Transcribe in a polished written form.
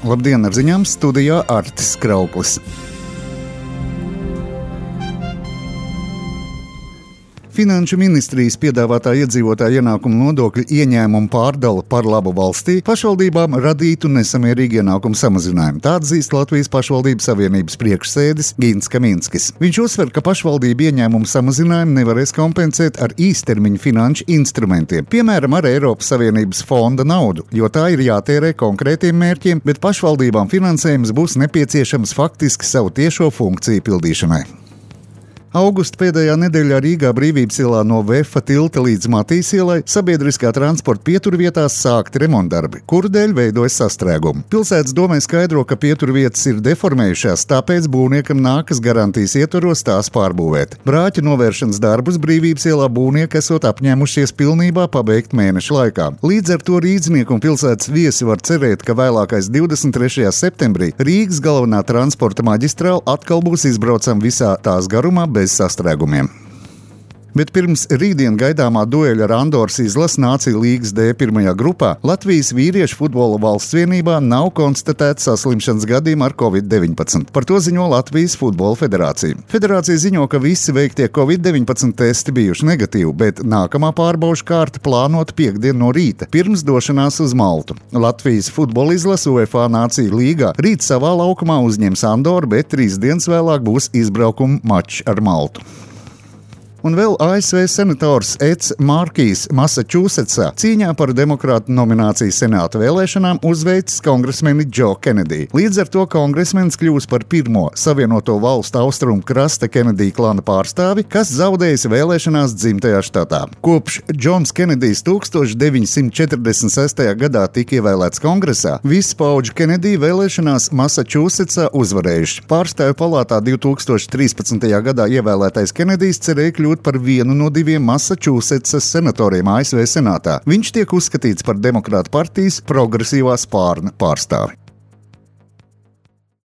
Labdien, ar ziņām studijā Artis Krauklis. Finanšu ministrijas piedāvātā iedzīvotāja ienākuma nodokļa ieņēmuma pārdala par labu valstī pašvaldībām radītu nesamērīgu ienākumu samazinājumu. Tā atzīst Latvijas pašvaldību savienības priekšsēdis Gins Kaminskis. Viņš uzsver, ka pašvaldību ieņēmumu samazinājumu nevarēs kompensēt ar īstermiņa finanšu instrumentiem, piemēram, ar Eiropas Savienības fonda naudu, jo tā ir jātērē konkrētiem mērķiem, bet pašvaldībām finansējums būs nepieciešams faktiski savu tiešo funkciju pildīšanai. Augusta pēdējā nedēļā Rīgā Brīvības ielā no Vefa tilta līdz Matīs ielai sabiedriskā transporta pieturvietās sākti remontdarbi, kuru dēļ veidojas sastrēgumi. Pilsētas domē skaidro, ka pieturvietas ir deformējušās, tāpēc būvniekam nākas garantijas ietvaros tās pārbūvēt. Brāķa novēršanas darbus Brīvības ielā būvnieki esot apņēmušies pilnībā pabeigt mēneša laikā. Līdz ar to rīdznieki un pilsētas viesi var cerēt, ka vēlākais 23. septembrī Rīgas galvenā transporta maģistrāla atkal būs izbraucama visā tās garumā bez sastrēgumiem. Bet pirms rītdien gaidāmā dueļa ar Andoras izlasi Nāciju līgas D pirmajā grupā Latvijas vīriešu futbola valsts vienībā nav konstatēts saslimšanas gadījumi ar Covid-19. Par to ziņo Latvijas futbola federācija. Federācija ziņo, ka visi veiktie Covid-19 testi bijuši negatīvi, bet nākamā pārbaužu kārta plānota piektdien no rīta, pirms došanās uz Maltu. Latvijas futbola izlase UEFA Nāciju līgā rīt savā laukumā uzņems Andoru, bet 3 dienas vēlāk būs izbraukuma mačs ar Maltu. Un vēl ASV senators Eds Markijs Massačūsetsā cīņā par demokrātu nomināciju senāta vēlēšanām uzveicis kongresmeni Džo Kenediju. Līdz ar to kongresmenis kļūs par pirmo Savienoto valstu austrumu krasta Kenedija klana pārstāvi, kas zaudējis vēlēšanās dzimtajā štatā. Kopš Džons Kenedijs 1946. gadā tika ievēlēts kongresā, visi paudžu Kenediju vēlēšanās Massačūsetsā uzvarējuši. Pārstāvju palātā 2013. gadā ievēlētais Kenedijs cerēja kļūt par vienu no 2 Massačūsetsas senatoriem ASV senātā. Viņš tiek uzskatīts par demokrātu partijas progresīvā spārna pārstāvi.